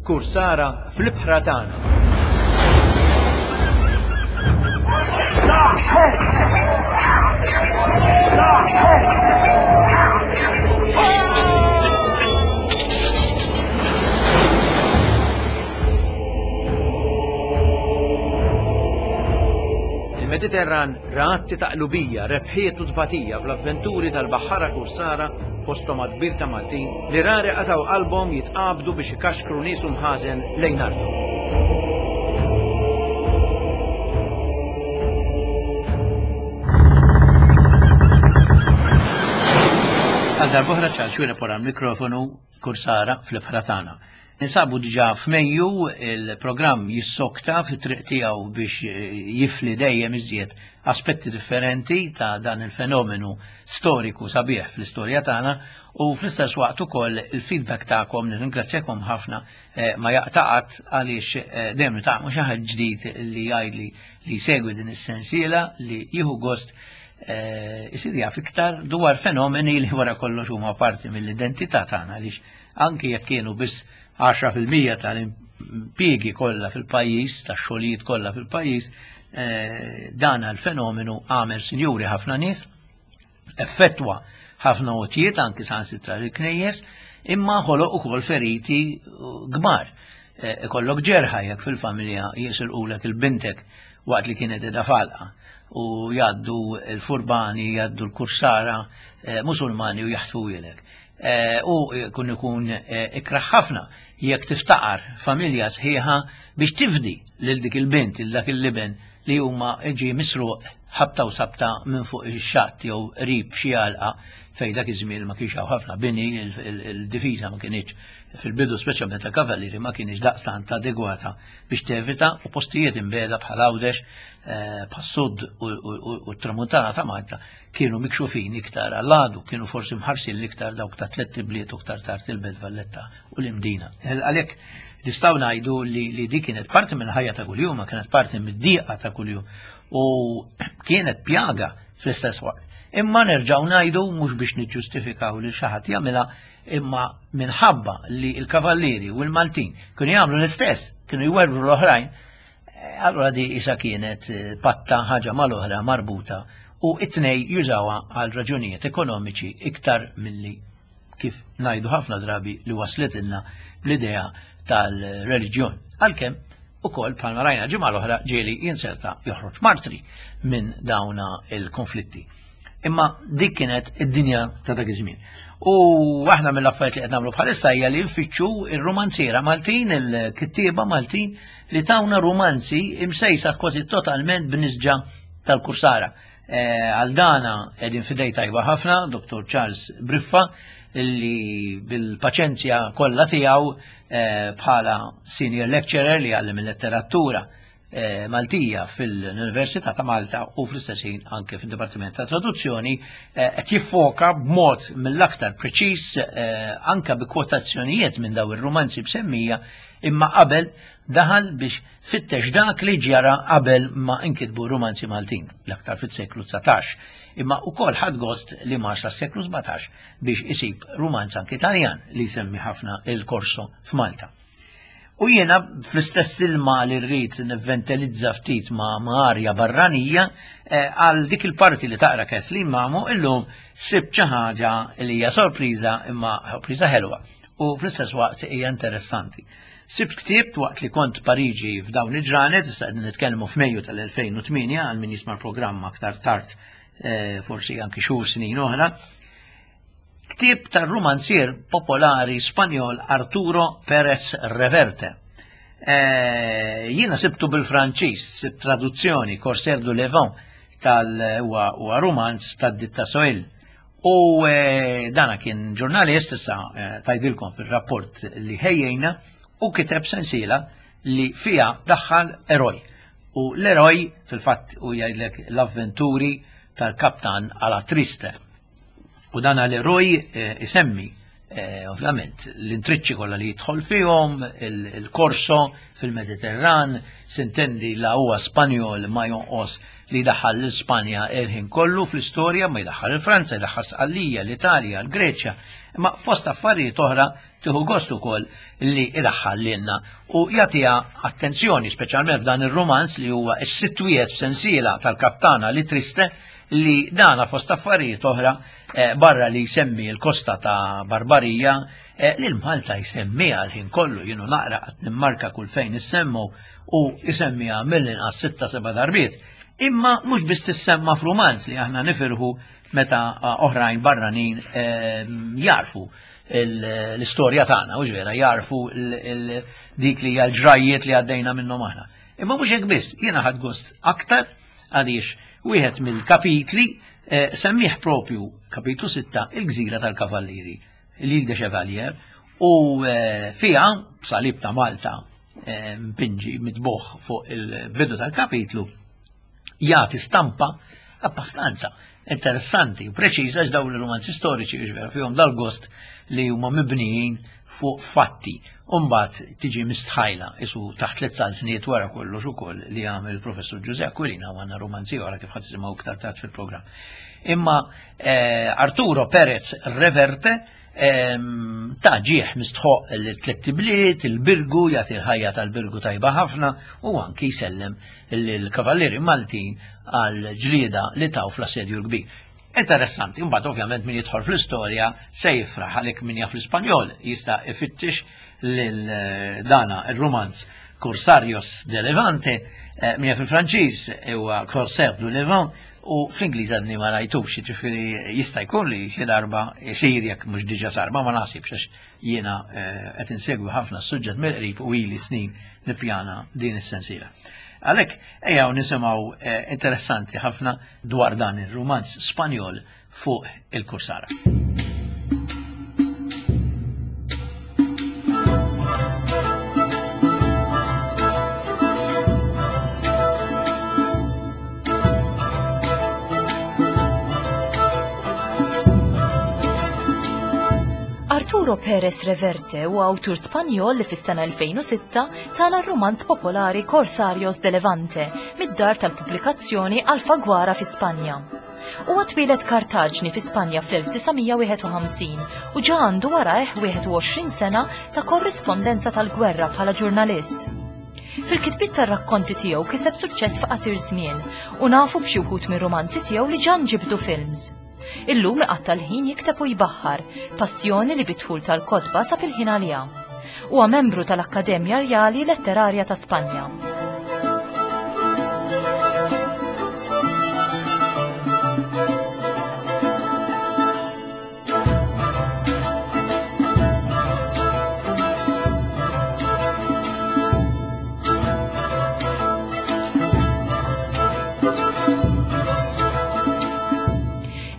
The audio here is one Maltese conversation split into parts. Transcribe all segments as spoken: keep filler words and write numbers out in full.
Kursara fl-ibħra tagħna. Il-Mediterran ra atti ta' qlubija, rebħiet u tbatija fl-avventuri tal-baħħara kursara, fosthom għadd kbir ta' Maltin li rari qatgħu qalbhom jitqabdu biex ikaxkru nies u mħażen lejn arthom. Għal darb'oħra Charles Xuereb wara l-mikrofonu, Kursara fl-ibħra tagħna. Ninsabu diġà f'Mejju, il-programm jissokta fit-triq tiegħu biex jifli dejjem iżjed aspetti differenti ta' dan il-fenomenu storiku sabiħ fl-istorja tagħna, u fl-istess waqt ukoll il-feedback tagħkom, nirringrazzjakom ħafna, eh, ma jaqtaqat għaliex eh, dejjem nitgħallmu xi ħadd ġdid li jgħidli li jsegwi din is-sensiela, li jieħu gost eh, isir jaf iktar dwar fenomeni li wara kollox huma parti mill-identità tagħna, għaliex anki jekk kienu biss għaxra fil-mija tal-impjiegi kollha fil-pajjiż, tax-xogħlijiet kollha fil-pajjiż, eh, dan il-fenomenu għamel sinjuri ħafna nies, effettwa ħafna għotjiet anki saħansitra l-knejjes, imma ħoloq ukoll feriti kbar. Eh, ikollok ġerħa jekk fil-familja jisilqulek il-bintek waqt li kienet qiegħda falqa, u jgħaddu l-furbani, jgħaddu l-kursara, eh, musulmani u jaħtfu ilek. Eh, u kun ikun, eh, ikraħ ħafna jekk tiftaqar familja sħiħa biex tifdi lil dik il-bint, lil dak il-liben li huma ġi misruq ħabta u sabta minn fuq ix-xatt jew qrib xi għalqa fejn dak iż-żmien ma kienx hawn ħafna bini, il-, il-, il-difiża ma kienx fil-bidu, speċjalment ta' kavallieri, ma kienx daqstant adegwata biex tevita, u postijiet imbeda bħal Għawdex, eh, bħas-sud u, u, u, u t-tramuntana ta' Malta kienu mikxufin iktar għall-għadu, kienu forsi mħarsin l-iktar dawk ta' tliet ibliet u iktar tard il-Belt Valletta u l-Imdina. Eh, għalhekk nistgħu ngħidu li, li di kienet parti mill-ħajja ta' kuljum, ma kienet parti mid-diqa ta' kuljum u kienet pjaga fl-istess waqt. Imma nerġgħu ngħidu mhux biex niġġustifikaw li xi ħadd jagħmilha, imma minħabba li l-kavallieri u l-Maltin kienu jagħmlu l-istess, kienu jwerwru l-oħrajn, eh, allura di isa kienet, eh, patta ħaġa mal-oħra marbuta, u it-tnej jużawha għal raġunijiet ekonomiċi iktar milli kif ngħidu ħafna drabi li waslitilna l-idea tal-reliġjon. Għalkemm ukoll bħalma rajna ġimgħa l-oħra ġieli jinserta joħroġ martri minn dawna il-konflitti. Imma dik kienet id-dinja ta' dak iż-żmien. U aħna mill-affarijiet li qed nagħmlu bħalissa hija li nfittxu ir-romanziera Maltin, il-kittieba Maltin li tawna romanzi imsejsa kważi totalment b'nisġa tal-kursara. Eh, għal dana qegħdin fidej tajba ħafna, Doktor Charles Briffa, li bil-paċenzja kollha tiegħu, eh, bħala senior lecturer li għallem il-letteratura, eh, Maltija fil-Università ta' Malta u fl-istess ħin anke fil-Dipartiment ta' Traduzzjoni, eh, qed jiffoka b'mod mill-aktar preċiż, eh, anke bi kwotazzjonijiet minn daw ir-romanzi b'semmija, imma qabel daħal biex fittex dak li ġara qabel ma inkitbu romanzi Maltin, l-aktar fis-seklu dsatax. Imma wkoll ħad gost li mar sas-seklu sbatax biex isib romanz anke Italjan li jsemmi ħafna il-korso f'Malta. U jiena fl-istess ilma li rrid nivventilizza ftit ma' arja barranija, eh, għal dik il-parti li taqra Kathleen Mamo, illum sibt xi ħaġa li hija sorpriża, imma sorpriża ħelwa u fl-istess waqt hija interessanti. Sibt ktieb waqt li kont Pariġi f'dawn il-ġranet, issa qegħdin nitkellmu f'Mejju tal-elfejn u tmienja, għal min jisma' l-programm aktar tard, eh, forsi anki xhur snin oħra. Ktieb tar-romanzier popolari Spanjol Arturo Pérez Reverte. Eh, jiena sibtu bil-Franċiż, sibt traduzzjoni Corsaire du Levant tal-huwa huwa romanz tad-ditta Soil. U, eh, dana kien ġurnalist, issa, eh, tajdilkom fil-rapport li ħejjejna, u kiteb sensiela li fija daħħal eroj. U l-eroj fil-fatt u jgħidlek l-avventuri tal-kaptan Alatriste. U dan l-eroj, eh, isemmi, eh, ovvjament l-intriċċi kollha li jidħol fihom, il-, il-korso fil-Mediterran, sintendi la huwa Spanjol ma jonqos li daħal l-Ispanja il-ħin kollu fl-istorja, ma jdaħħal il-Franza, jdaħħal Sqallija, l-Italja, l-Greċja, imma fost affarijiet oħra tieħu gost ukoll li idaħħal lilna u jagħtiha attenzjoni speċjalment f'dan ir-romanz li huwa s-sitt wieħed f'sensiela tal-Kaptana li Triste, li dana fost affarijiet oħra eh, barra li jsemmi l-kosta ta' Barbarija, eh, li l-Malta jsemmiha l-ħin kollu, jienu naqra qed nimmarka kull fejn issemmu u jsemmiha mill-inqas sitta seba' darbiet. Imma mhux biss tissemma f'rumanz li aħna nifirħu meta oħrajn barranin eh, jarfu l-istorja tagħna, u vera jarfu dik li hija l-ġrajjiet li għaddejna minnhom aħna. Imma mhux hekk biss, jiena ħadd gost aktar għaliex wieħed mill-kapitli eh, semmih propju kapitlu sitta, il-Gżira tal-Kavallieri, l'Île de Chevalier, u eh, fiha salib ta' Malta eh, mpinġi mitbuħ fuq il-bidu tal-kapitlu jagħti stampa abbastanza interessanti u preċiża x'dawn il-romanzi storiċi jiġifieri fihom dal-gost li huma mibnijin fuq fatti. Umbagħad tiġi mistħajla isu taħt tliet saltniet wara kollox ukoll li għamel il-professur Ġużè Aquilina u għandna romanzi oħra kif ħadd tisimgħu iktar tard fil-programm. Imma eh, Arturo Perez Reverte ehm, ta' ġieħ mistħoq l-tliet bliet, il-Birgu, jagħti l-ħajja tal-Birgu tajba ħafna u anki jsellem l-Kavallieri Maltin għal ġlieda li taw fl-assedju l-kbir. Interessanti, imbagħad ovvjament min jidħol fl-istorja se jifraħ għalhekk min jaf l-Ispanjol jista' ifittex lil eh, dana il-romanz Corsarios de Levante, eh, min jaf il-Franċiż huwa Corsaire du Levant, u fl-Ingliż għadni ma rajtux, jiġifieri jista' jkun li xi darba jsir jekk mhux diġà sar, ma ma naħsibx għax jiena eh, qed insegwi ħafna s-suġġett mill-qrib u ili snin nippjana din is-sensiela. Għalhekk ejjaw nisimgħu eh, interessanti ħafna dwar dan ir-romanz Spanjol fuq il-Kursara. Arturo Perez Reverte huwa awtur Spanjol li fis-sena elfejn u sitta tala r-romanz popolari Corsarios de Levante mid-dar tal-pubblikazzjoni Alfaguara fi Spanja. Huwa twieled Kartaġni fi Spanja fl-elf disa' mija wieħed u ħamsin u ġa għandu warajh wieħed u għoxrin sena ta' korrispondenza tal-gwerra bħala ġurnalist. Fil-kitbiet tar-rakkonti tiegħu kiseb suċċess f'qasir żmien u nafu b'xi wħud mir-romanzi tiegħu li ġa nġibdu films. Illum iqatta' l-ħin jikteb u jbaħħar, passjoni li bidħul tal-kotba sab il-ħin għaliha. Huwa membru tal-Akkademja Rjali Letterarja ta' Spanja.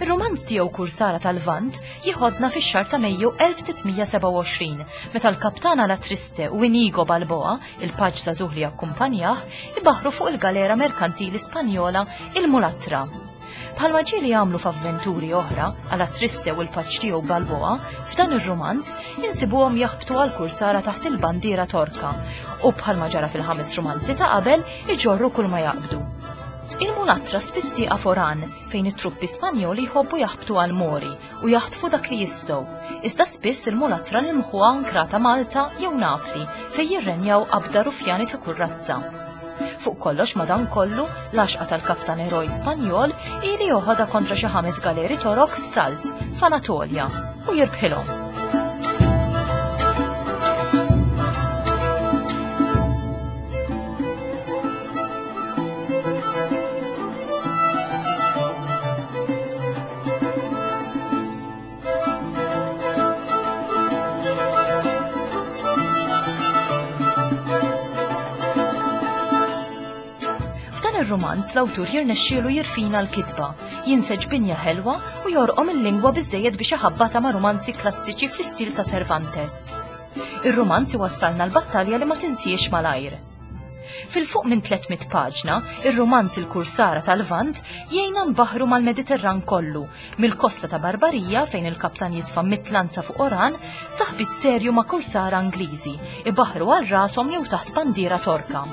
Ir-romanz tiegħu Kursara tal-Lvant jieħodna fix-xahar ta' Mejju elf sitt mija seba' u għoxrin, meta l-kaptana La Triste u Inigo Balboa, il-paġ żagħżugħ li akkumpanjah, ibaħru fuq il-galera merkantili Spanjola il-Mulatra. Bħalma ġieli jagħmlu f'avventuri oħra, La Triste u l-paġ tiegħu Balboa, f'dan ir-romanz insibuhom jaħbtu għal kursara taħt il-bandiera Torka u bħalma ġara fil-ħames romanzi ta' qabel iġorru kull ma jaqbdu. Il-Mulatra spiss tieqa foran fejn it-truppi Spanjoli jħobbu jaħbtu għal Mori u jaħtfu dak li jistgħu. Iżda spiss il-Mulatra nilmħuha ankrata Malta jew Napli fejn jirrenjaw qabda rufjani ta' kull razza. Fuq kollox madankollu, l-għaxqa tal-kaptan eroj Spanjol ili joħodha kontra xi ħames galeri torok f'Salt, f'Anatolja, u jirbħilhom. F'dan ir-romanz l-awtur jirnexxielu jirfina l-kitba, jinseġ binja ħelwa u jorqom il-lingwa biżżejjed biex iħabbata ma' romanzi klassiċi fl-istil ta' Cervantes. Ir-romanz iwassalna l-battalja li ma tinsiex malajr. Fil-fuq minn tliet mitt paġna, ir-romanz Il-Kursara tal-Lvant jgħinna nbaħru mal-Mediterran kollu, mill-kosta ta' Barbarija fejn il-kaptan jitfa' mitlanza fuq Oran, saħbit serju ma' kursara Ingliżi, ibaħru għal rashom jew taħt bandiera Torka.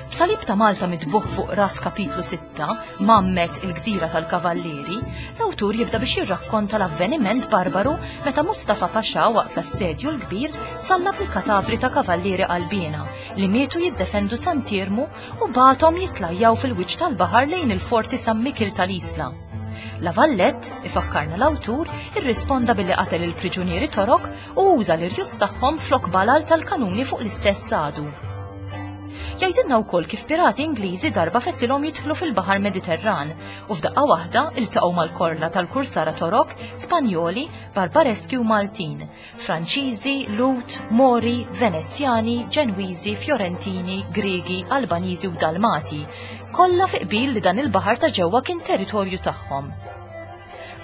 B'salib ta' Malta mitbuħ fuq ras kapitlu sitta, Mammet il-Gżira tal-Kavallieri, l-awtur jibda biex jirrakkonta l-avveniment barbaru meta Mustafa Pasha waqt l-assedju l-kbir sallab il-katavri ta' kavallieri qalbiena li mietu jiddefendu Sant'Iermu u bagħathom jitlajjaw fil-wiċċ tal-baħar lejn il-forti San Mikil tal-Isla. La Vallette, ifakkarna l-awtur, irrisponda billi qatel il-priġunieri Torok u uża l-irjus tagħhom flok balal tal-kanuni fuq l-istess sadu. Jgħidilna wkoll kif pirati Ingliżi darba fettilhom jidħlu fil-Baħar Mediterran u f'daqqa waħda iltaqgħu mal-korla tal-kursara Torok, Spanjoli, Barbareski u Maltin, Franċiżi, Lut, Mori, Venezjani, Ġenwiżi, Fiorentini, Griegi, Albaniżi u Dalmati, kollha fi qbil li dan il-baħar ta' ġewwa kien territorju tagħhom.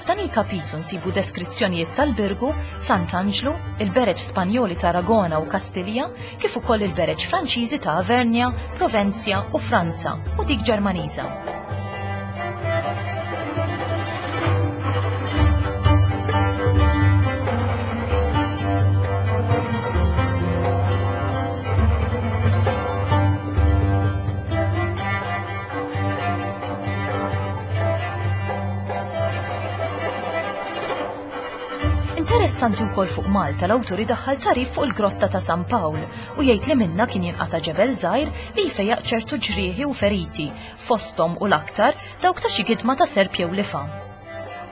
F'dan il-kapitlu nsibu deskrizzjonijiet tal-Birgu, Sant'Anġlu, il-bereġ Spanjoli ta' Aragona u Kastilja, kif ukoll il-bereġ Franċiżi ta' Avernja, Provenzja u Franza u dik Ġermaniża. Interessanti wkoll fuq Malta l-awtur idaħħal tarif fuq il-grotta ta' San Pawl u jgħid li minna kien jinqata' ġebel żgħir li jfejjaq ċertu ġrieħi u feriti, fosthom u l-aktar dawk ta' xi gidma ta' serp jew lifa.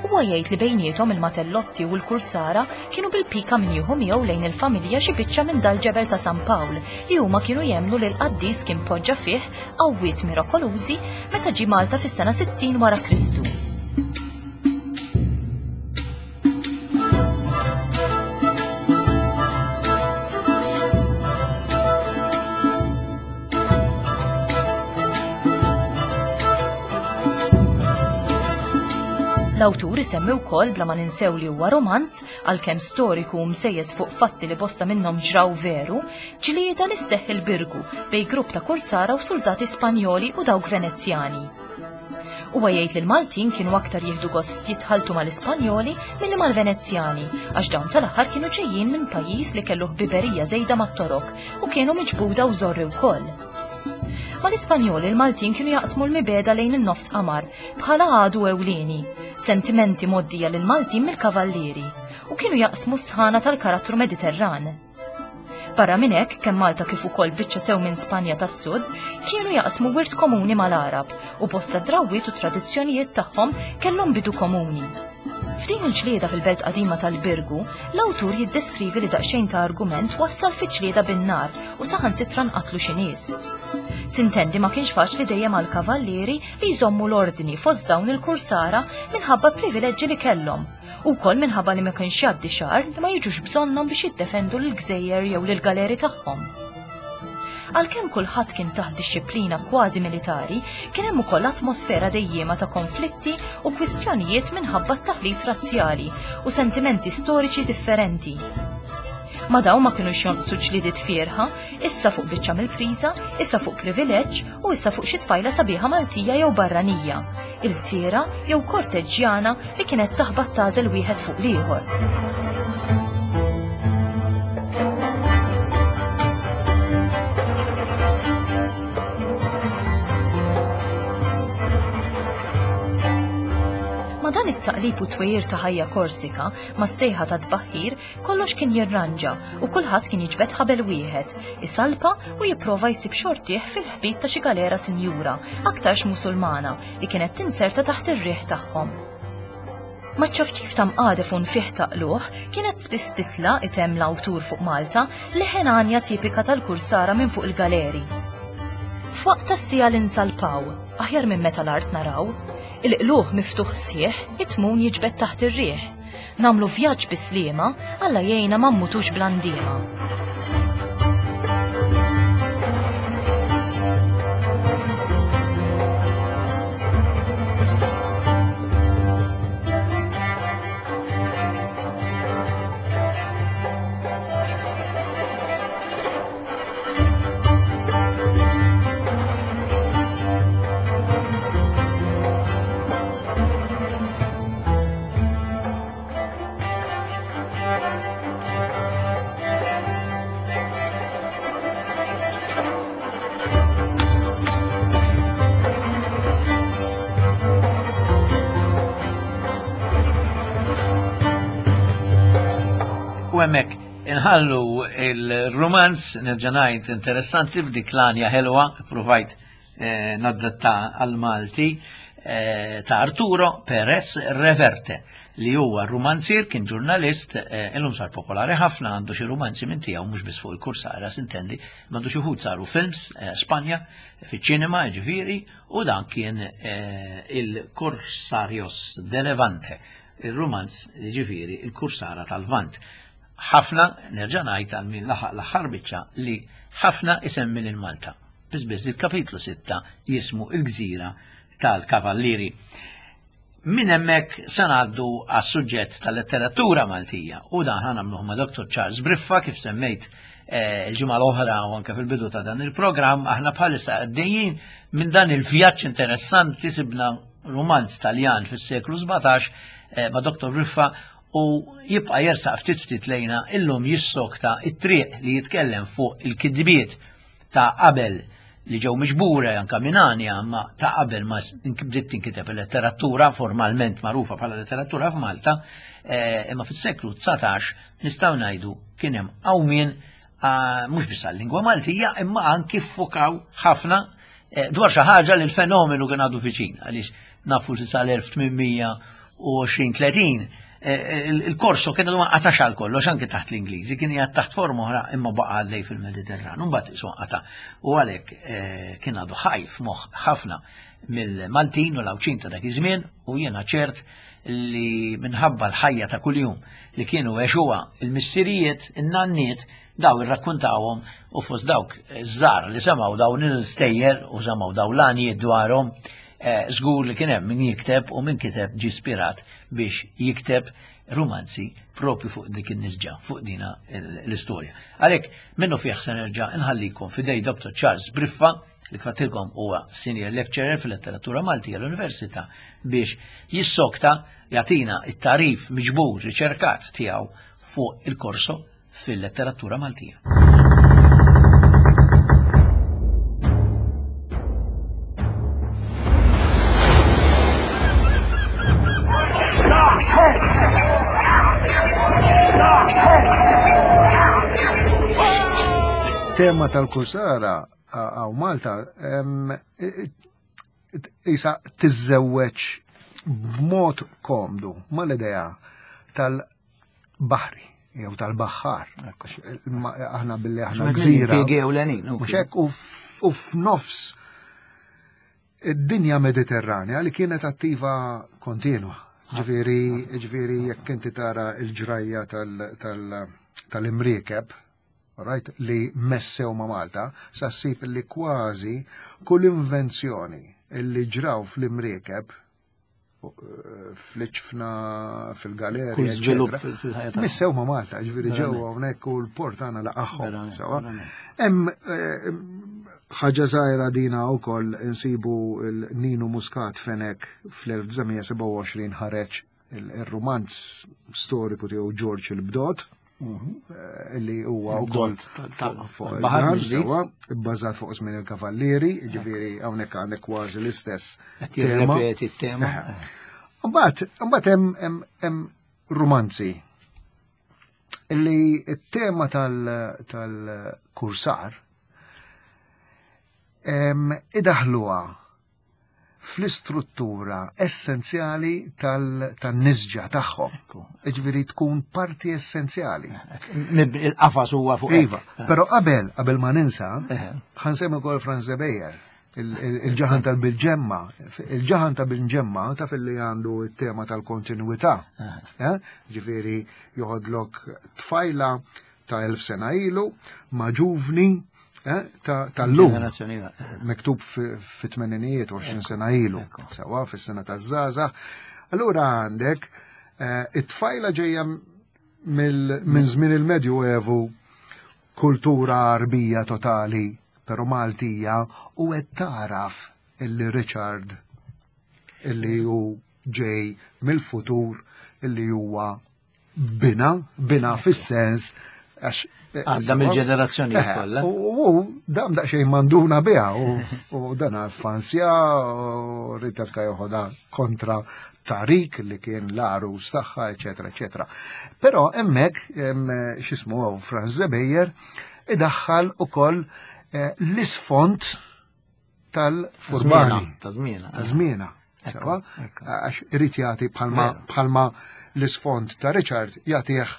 Huwa jgħid li bejniethom il-Matellotti u l-Kursara kienu bil-pika min jieħu miegħu lejn il-familja xi biċċa minn dal-ġebel ta' San Pawl li huma kienu jemmnu li l-qaddis kien poġġa fih qawwiet mirakolużi meta ġie Malta fis-sena sittin wara Kristu. L-awtur isemmi wkoll bla ma ninsew li huwa romanz għalkemm storiku u msejjes fuq fatti li bosta minnhom ġraw veru, ġlieda li sseħħ il-Birgu bejn grupp ta' kursara u soldati Spanjoli u dawk Venezjani. Huwa jgħid li l-Maltin kienu aktar jieħdu gost jitħaltu mal-Ispanjoli milli mal-Venezjani għax dawn tal-aħħar kienu ġejjin minn pajjiż li kellu ħbiberija żejda mat-Torok u kienu miġbuda u żorri wkoll. Mal-Ispanjoli l-Maltin kienu jaqsmu l-mibeda lejn in-nofs qamar bħala għadu ewlieni, sentimenti mgħoddija lill-Maltin mill-kavallieri u kienu jaqsmu s-sħana tal-karattru Mediterran. Barra minn hekk, kemm Malta kif ukoll biċċa sew minn Spanja tas-Sud, kienu jaqsmu wirt komuni mal-Arab u bosta drawwiet u tradizzjonijiet tagħhom kellhom bidu komuni. F'din il-ġlieda fil-belt qadima tal-Birgu, l-awtur jiddeskrivi li daqsxejn ta' argument wassal fi ġlieda bin-nar u saħansitra nqatlu xi nies. Sintendi ma kienx faċli dejjem għal kavallieri li jżommu l-ordni fost dawn il-kursara minħabba privileġġi li kellhom, u wkoll minħabba li ma kienx jgħaddi xahar li ma jiġux bżonnhom biex jiddefendu l-gżejjer jew lill-galeri tagħhom. Għalkemm kulħadd kien taħt dixxiplina kważi militari, kien hemm ukoll atmosfera dejjema ta' konflitti u kwistjonijiet minħabba t-taħlit razzjali u sentimenti storiċi differenti. Ma dawn ma kinux jonqsu ġlidiet fierħa, issa fuq biċċa mill-priża, issa fuq privileġġ u issa fuq xi tfajla sabiħa Maltija jew barranija, il-siera jew korteġġjana li kienet taħbat tażel wieħed fuq l-ieħor. Ma dan it-taqlib u twejjir ta' ħajja Korsika ma' sejħa ta' tbaħħir kollox kien jirranġa u kulħadd kien jiġbed ħabel wieħed, isalpa u jipprova jsib xortih fil-ħbit ta' xi galera sinjura, aktarx Musulmana, li kienet tinzerta taħt ir-riħ tagħhom. Maċ-ċafċif ta' mqadef u nfih ta' qluħ kienet spiss titla' itemm l-awtur fuq Malta leħen għanja tipika tal-kursara minn fuq il-galeri. F'waqt tas-siegħa li nsalpaw, aħjar minn meta l-art naraw, il-qluħ miftuħ sieħ, it-tmun jiġbed taħt ir-riħ. Namlu vjaġġ bislima, Alla jgħinna ma mmutux bl-andiema. U hemmhekk inħallu il-romanz, nerġa' ngħid interessanti b'dik l-għanja ħelwa, provajt eh, naddatta għal-Malti, eh, ta' Arturo Perez Reverte, li huwa romanzier, kien ġurnalist, eh, illum sar popolari ħafna, għandu xi romanzi minn tiegħu mhux biss fuq il-kursara, sintendi, għandu xi wħud saru films, eh, Spanja, fiċ-ċinema, ġifieri, u dan kien eh, il-Corsarios de Levante, il-romanz, ġifieri, il-Kursara tal-Vant. Ħafna, nerġa' ngħid għal min laħaq l-aħħar biċċa li ħafna isemmi lil Malta. Biss biss il-kapitlu sitta jismu il-Gżira tal-Kavallieri. Minn hemmhekk se ngħaddu għas-suġġett tal-letteratura Maltija u dan ħa nagħmluh ma' Doktor Charles Briffa, kif semmejt eh, il-ġimgħa l-oħra u anke fil-bidu ta' dan il-programm, aħna bħalissa għaddejjin minn dan il-vjaġġ interessanti, sibna romanz Taljan fis-seklu sbatax, eh, ma' Doktor Briffa, u jibqa' jersaq ftit ftit lejna illum jissokta it-triq li jitkellem fuq il-kidbiet ta' qabel li ġew miġbura anka minn għanja, ma ta' qabel ma bdiet tinkiteb il-letteratura formalment magħrufa bħala letteratura f'Malta, eh, imma fis-seklu dsatax nistgħu ngħidu kien hemm qawmien, ah, mhux biss għal-lingwa Maltija, imma anki ffukaw ħafna, eh, dwar xi ħaġa li l-fenomenu kien għadu viċin, għaliex nafu li sal-elf tmien mija u għoxrin tletin, eh, il-, il-korso kien għadu ma qatax għal kollox anke taħt l-Ingliżi, kien jgħad taħt forma oħra imma baqa' għaddej fil-Mediterran, u mbagħad isu qata'. U għalhekk, eh, kien għadu ħaj f'moħħ ħafna mill-Maltin u l-Għawdxin ta' dak iż-żmien, u jiena ċert li minħabba l-ħajja ta' kuljum li kienu għexuha il-missirijiet, in-nanniet, daw irrakkuntawhom, u fost dawk żgħar li semgħu dawn il-stejjer u semgħu dawn l-għanjiet dwarhom, eh, żgur li kien hemm min jikteb u min kiteb ġie ispirat biex jikteb romanzi propju fuq dik in-nisġa, fuq dina l-, l-istorja. Għalhekk minnu fih se nerġa' nħallikom f'idej Doktor Charles Briffa, li kif għedtilkom huwa senior lecturer fil-letteratura Maltija l-Università, biex jissokta jagħtina it-tarif miġbur riċerkat tiegħu fuq il-korso fil-letteratura Maltija. Tema tal-kursara għaw Malta, em, isa tiżżewweġ b'mod komdu mal-idea tal-baħri jew tal-baħħar. Aħna billi aħna gżira. Impjiegi ewlenin, u Mhux hekk, u f-, u f'nofs id-dinja Mediterranja li kienet attiva kontinwa. Ġifieri, ġifieri jekk inti tara l-ġrajja tal-, tal-, tal-imriekeb, right, li messew ma' Malta, sa ssib li kważi kull invenzjoni li ġraw fl-imriekeb, fl-iċfna, fil-galerja, Kull żvilupp eccetera, fil-, fil-ħajja tagħna. Missew ma' Malta, ġifieri ġew Verament. hawnhekk u l-port għandna laqagħhom, Verament, sewwa. verament. Hemm, eh, ħaġa żgħira dina wkoll insibu l-Ninu Muscat Fenech fl-elf disa' mija sebgħa u għoxrin ħareġ il-, il-romanz storiku tiegħu Ġorġ il-Bdot, Mhm. eh, li huwa wkoll Bdot tal-, tal-, fuq, fuq tal-baħar il-baħar, mill-ġdid. sewwa, bbażat fuq żmien il-Kavallieri, ġifieri hawnhekk għandek kważi l-istess Qed tema. jirrepeti t-tema. Eħe. Mbagħad, mbagħad hemm, hemm, hemm romanzi li t-tema tal-, tal-kursar, em, idaħluha fl-istruttura essenzjali tal-, tan-nisġa tagħhom. Ekku. Ġifieri tkun parti essenzjali. Mib-, il-qafas huwa fuq hekk. Iva, però qabel, qabel ma ninsa, Eħe. ħansemmi wkoll Franz Beyer, il-, il-, il-ġaħan tal-Bilġemma. Il-ġaħan tal-Bilġemma taf li għandu t-tema tal-kontinuità. Eħe. Eh? Ġifieri joħodlok tfajla ta' elf sena ilu ma' ġuvni, eh, ta', tal-lum. Ġenerazzjoni oħra. Miktub fi, fi tmeninijiet, għoxrin sena ilu, Ekku. sewa fis-sena taż-żgħażagħ. Allura għandek, eh, it-tfajla ġejja mill-, minn żmien il-Medju Evu, kultura Arbija totali, però Maltija, u qed taraf illi Richard, illi hu ġej mill-futur, illi huwa bina, bina fis-sens, għax Għadda mill-ġenerazzjoni Eh, kollha. U, u dam daqsxejn manduna biha, u, u dan fansja, u Rita joħodha kontra Tarik li kien l-għarus tagħha, eċetera, eċetera. Però hemmhekk x'ismu Franz Zebejer idaħħal ukoll eh, l-isfond tal-furbani. Ta' żmiena. Ta' żmiena. Sewa? Għax irid jagħti bħalma l-isfond ta' Richard jagħtih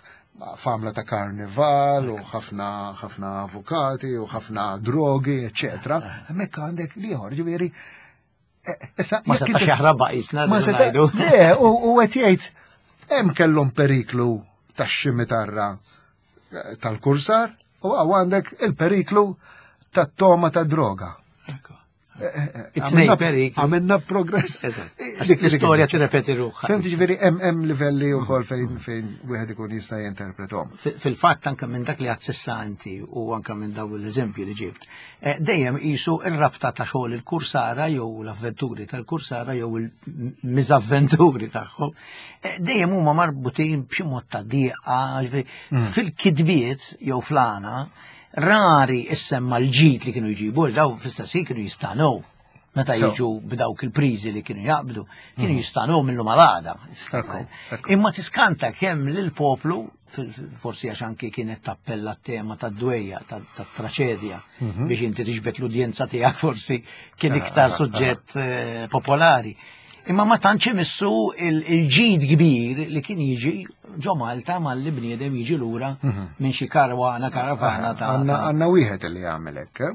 famla ta' karnival u ħafna ħafna avukati u ħafna drogi, eċetera. Hemmhekk għandek l-ieħor, ġifieri issa ma setax jaħrab qisna. Ma setax. Le, u qed jgħid hemm kellhom periklu tax-ximitarra tal-kursar u għandek il-periklu tat-toma ta' droga. It-tnejn perikli. Għamilna progress. L-istorja tirrepeti ruħha. Fhimt, ġifieri hemm hemm livelli wkoll fejn fejn wieħed ikun jista' jinterpretom. Fil-fatt anke minn dak li għedt s'issa inti u anke minn daw l-eżempju li ġibt, dejjem qisu ir-rabta ta' xogħol il-kursara jew l-avventuri tal-kursara jew il-miżavventuri tagħhom, dejjem huma marbutin b'xi mod ta' dieqa, fil-kitbiet jew fl-għana, rari issemma l-ġid li kienu jġibu, daw fl-istess kienu jistagħnew. Meta jiġu b'dawk il-priżi li kienu jaqbdu, kienu jistagħnew minnu malada. Imma tiskanta kemm lill-poplu, forsi għax anki kienet tappella t-tema tad-dwejja, tat-traċedja, biex inti tiġbed l-udjenza tiegħek forsi kien iktar suġġett popolari. Imma ma tantx imissu il-ġid kbir li kien jiġi ġo Malta malli bniedem jiġi lura minn xi karwana karavana ta' Għandna wieħed li jagħmel hekk.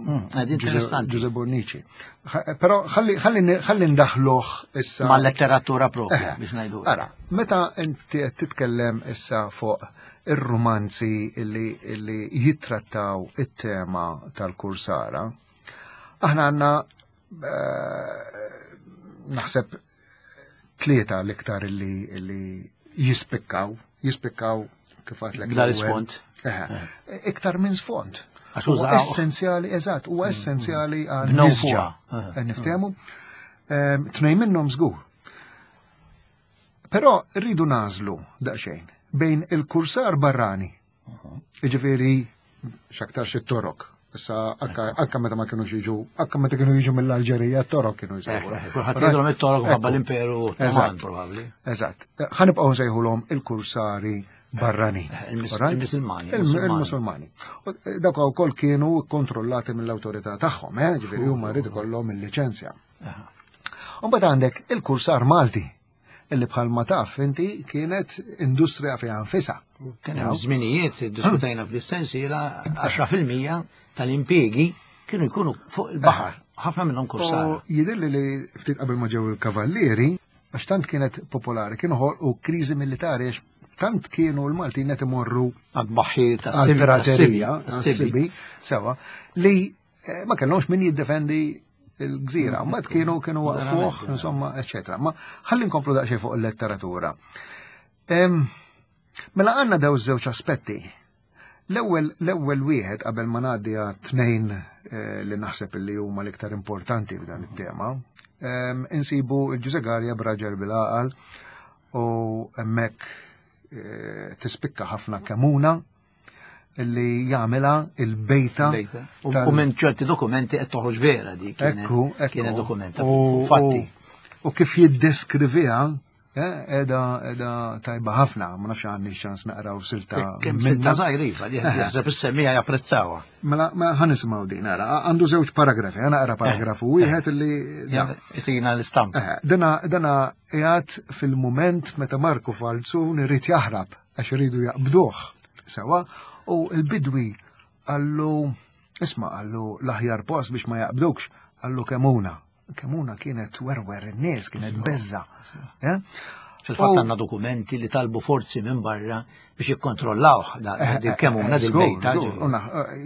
Interessanti. Giuseppe Bonnici. Però ħalli ndaħluh issa. Ma' letteratura propja biex ngħidu. Ara, meta inti qed titkellem issa fuq ir-romanzi illi jittrattaw it-tema tal-kursara, aħna għandna naħseb tlieta l-iktar illi jispikkaw, jispikkaw kif għedtlek. Dal-isfond. Iktar minn sfond. Għax użaw. Essenzjali, eżatt, huwa essenzjali għal Bnew nisġa. fuqha. Niftehmu. Tnejn minnhom żgur. Però rridu nagħżlu daqsxejn bejn il-kursar barrani. Jiġifieri x'aktarx it-Torok. Issa anka meta ma kienux jiġu, anka meta kienu jiġu mill-Alġerija, t-Torok kienu jsejħu. Kulħadd jgħidulhom it-Torok minħabba l-Imperu Ottoman probabbli. Eżatt. Ħa nibqgħu nsejħulhom il-kursari barrani. Il-Musulmani. Il-Musulmani. Dawk ukoll kienu kontrollati mill-awtorità tagħhom, eh, ġifieri huma jrid ikollhom il-liċenzja. U mbagħad għandek il-kursar Malti, illi bħalma taf inti kienet industrija fiha nfisha. Kien hemm żminijiet diskutajna f'dis-sensiela għaxra fil-mija tal-impjiegi kienu jkunu fuq il-baħar, ħafna minnhom kursara. Jidhirli li ftit qabel ma ġew il-kavallieri, għax tant kienet popolari, kienu ħolqu kriżi militari għax tant kienu l-Maltin qed imorru għad-baħħir għall-piraterija, għas-sibi, sewa, li ma kellhomx min jiddefendi il-gżira, mbagħad kienu kienu waqfuh, insomma, eċetera. Ma ħalli nkomplu daqsxejn fuq il-letteratura. Mela għandna daw żewġ aspetti. L-ewwel l-ewwel wieħed qabel ma ngħaddi tnejn li naħseb li huma l-iktar importanti f'dan it-tema, insibu Ġużè Galea b'Raġel bil-Għaqal u hemmhekk tispikka ħafna Kemuna illi jagħmilha il-bejta. U minn ċerti dokumenti qed toħroġ vera dik. Ekku, kienet dokumenta fatti. U kif jiddeskriviha Edha, edha tajba ħafna, ma nafx għandi ċans naqraw silta. Kemm silta żgħir iva, li jaħseb is-semmija japprezzawha. Mela, ma ħa nisimgħu din, ara, għandu żewġ paragrafi, ħa naqra paragrafu wieħed illi. Itina l-istampa. Dana, dana qiegħed fil-mument meta Marku Falzun irid jaħrab għax iridu jaqbduh sewa, u l-bidwi qallu, isma' qallu l-aħjar post biex ma jaqbdukx, qallu Kemuna. Kemuna kienet werwer in-nies, kienet beżza. Fil-fatt għandna dokumenti li talbu forzi minn barra biex jikkontrollaw dil Kemuna dil-bejta.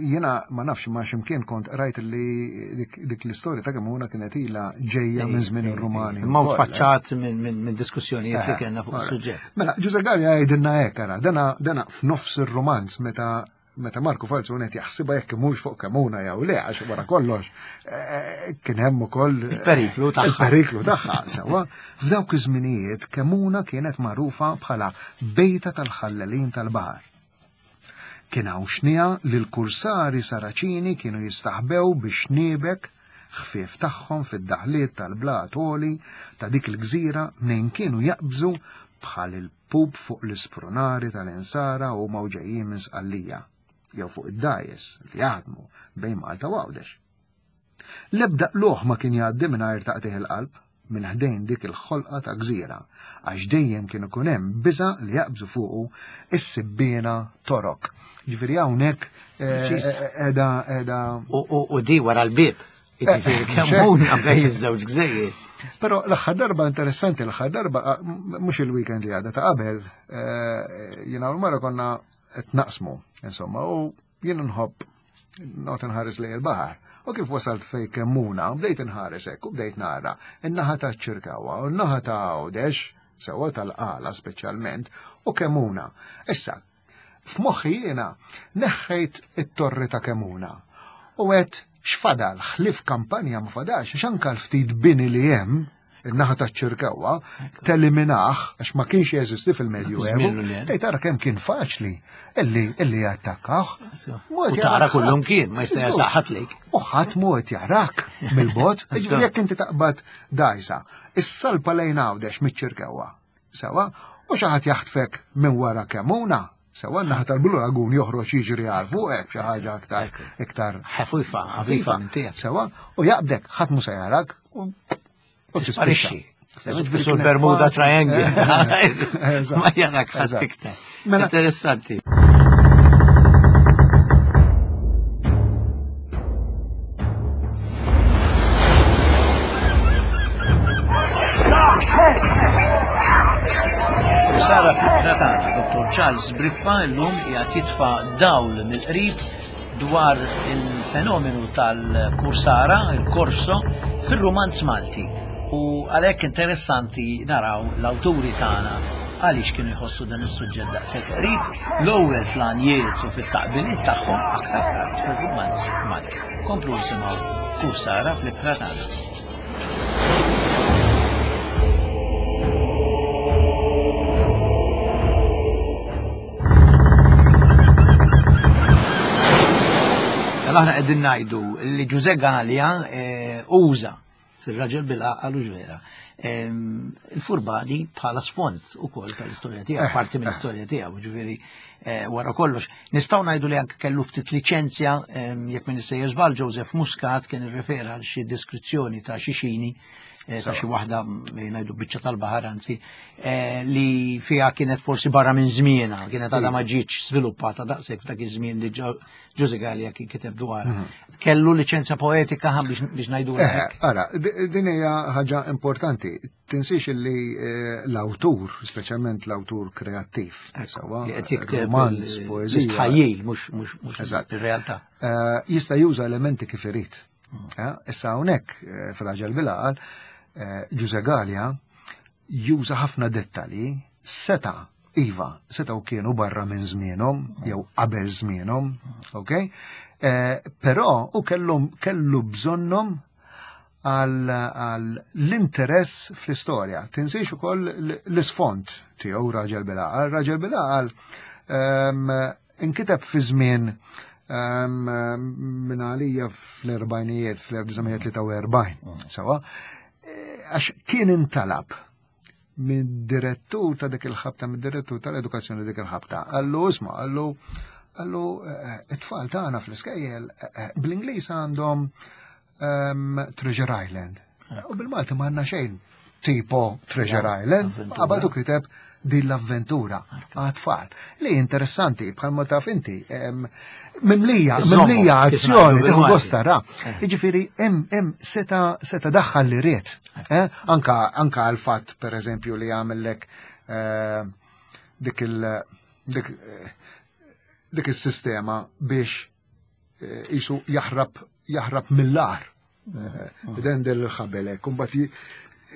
Jiena ma nafx ma x'imkien kont rajt li dik l-istorja ta' Kemuna kienet ilha ġejja minn żmien ir-Rumani. Ma faċċat minn diskussjonijiet li kellna fuq is-suġġett. Mela, Ġużè Galea jgħidilna hekk ara, dana f'nofs ir-romanz meta meta Marku Falzun qed jaħsibha jekk mhux fuq Kemuna jew le, għax wara kollox kien hemm ukoll il-periklu tagħha. Il-periklu tagħha, sewwa. F'dawk iż-żminijiet Kemuna kienet magħrufa bħala bejta tal-ħallelin tal-baħar. Kien hawn xnija li l-kursari Saraċini kienu jistaħbew biex niebek ħfief tagħhom fid-daħliet tal-blat għoli ta' dik il-gżira mnejn kienu jaqbżu bħal il-pup fuq l-isprunari tal-insara u mawġejjin minn Sqallija, jew fuq id-dajes li jaħdmu bejn Malta u Għawdex. L-ebda qluħ ma kien jgħaddi mingħajr taqtigħ il-qalb minn ħdejn dik il-ħolqa ta' gżira, għax dejjem kien ikun hemm biża' li jaqbżu fuqu is-sibbiena Torok. Ġifieri hawnhekk qiegħda qiegħda U di wara l-bieb. Jiġifieri Kemmuna bejn iż-żewġ gżejjer. Però l-aħħar darba interessanti, l-aħħar darba mhux il-weekend li għadha ta' qabel, jiena u l-mara konna qed naqsmu, insomma, u jien nħobb noqgħod inħares lejn il-baħar. U kif wasalt fej Kemmuna, bdejt inħares hekk u bdejt nara in-naħa ta' Ċirkewwa u n-naħa ta' Għawdex, sewwa tal-Qala speċjalment, u Kemmuna. Issa, f'moħħi jiena neħħejt it-torri ta' Kemmuna u għedt x'fadal, ħlif kampanja ma fadalx, għax anke l-ftit bini li hemm in-naħa ta' Ċirkewwa teliminaħ għax ma kienx jeżisti fil-Medju Żmien li hemm. Ej tara kemm kien faċli illi illi jattakkaw. U tara kullum kien, ma jista' jasaħħat lejk. U ħadd mhu qed jarak mill-bogħod, jiġifieri jekk inti taqbad dajsa, is-salpa lejn Għawdex miċ-Ċirkewwa. Sewa, u xi ħadd jaħtfek minn wara Kemmuna, sewa n-naħa tal-Blue Lagoon joħroġ jiġri għal fuqek xi ħaġa aktar iktar Ħafifa, ħafifa minn tiegħek. Sewa, u jaqbdek ħadd mhu se jarak u u Tisparixxi. tispiċċa. Sul Bermuda Triangle. Eżatt. Ma jarak ħadd Eżatt. iktar. Mela- Interessanti. Sara fil-Kratana, Dottor Charles Briffa llum qiegħed jitfa' dawl mill-qrib dwar il-fenomenu tal-kursara, il-korso, fir-rumanz Malti. U għalhekk interessanti naraw l-awturi tagħna għaliex kienu jħossu dan is-suġġett daqshekk qrib, l-ewwel fl-għanjiet u fit-taqbiliet tagħhom aktar tard fir-rumanz Malti. Komplu nisimgħu Kursara fl-ibħra tagħna. Mela aħna qegħdin ngħidu li Ġuże Galea eh, uża fir-raġel bil-għaqal u ġvera ehm, il-furbani bħala sfond ukoll tal-istorja tiegħu, Eh, parti mill-istorja tiegħu, ġifieri eh, wara kollox. Nistgħu ngħidu li anke kellu ftit liċenzja ehm, jekk min issejjer żball Joseph Muscat kien irrefera għal xi deskrizzjoni ta' xi xini eh, ta' xi waħda mm, ngħidu biċċa tal-baħar anzi eh, li fiha kienet forsi barra minn żmienha, kienet għadha ma ġietx sviluppata daqshekk f'dak iż-żmien li Ġo- Ġuże Galea kien kiteb dwarha. Kellu liċenzja poetika ħa biex biex ngħidu Eh, hekk. ara, di- din hija ħaġa importanti. Tinsiex illi eh, l-awtur, speċjalment l-awtur kreattiv, sewwa, Li qed jikteb romanz, il- poeżija, l-istħajjil mhux mhux mhux Eżatt. ir-realtà. eh, jista' juża elementi kif irid. Eh, Issa hawnhekk eh, fil-Raġel bil-Għaqal, eh, Ġuże Galea juża ħafna dettalji seta' iva, seta' u kienu barra minn żmienhom jew qabel żmienhom, ok? Eh, Però u kellhom kellu bżonnhom għal għal l-interess fl-istorja. Tinsiex ukoll l- l-isfond tiegħu Raġel bil-Għaqal. Raġel bil-Għaqal ehm, inkiteb fi żmien ehm, minn għalija fl-erbajnijiet, fl-elf disa' mija tlieta u erbgħin, sewa, eh, għax kien intalab minn direttur ta' dik il-ħabta, minn direttur tal-edukazzjoni dik il-ħabta. Għallu, isma', għallu, għallu, eh, it-tfal tagħna fl-iskejjel eh, eh, bl-Ingliż għandhom ehm, Treasure Island. U bil-Malti ma għandna xejn tipo Treasure Island. avventura. Qabad u kiteb din l-avventura għat-tfal. Li interessanti, bħalma taf inti, em, mimlija, Iżommu, mimlija kif azzjoni, ngħidu tieħu bil-Malti. gost tara. Jiġifieri hemm hemm seta seta daħħal li ried. Eh? Anka anka għal fatt per eżempju li għamillek eh, dik il dik eh, dik is-sistema biex eh, jisu jaħrab jaħrab mill-ar. Dendel il-ħabelek, kumbat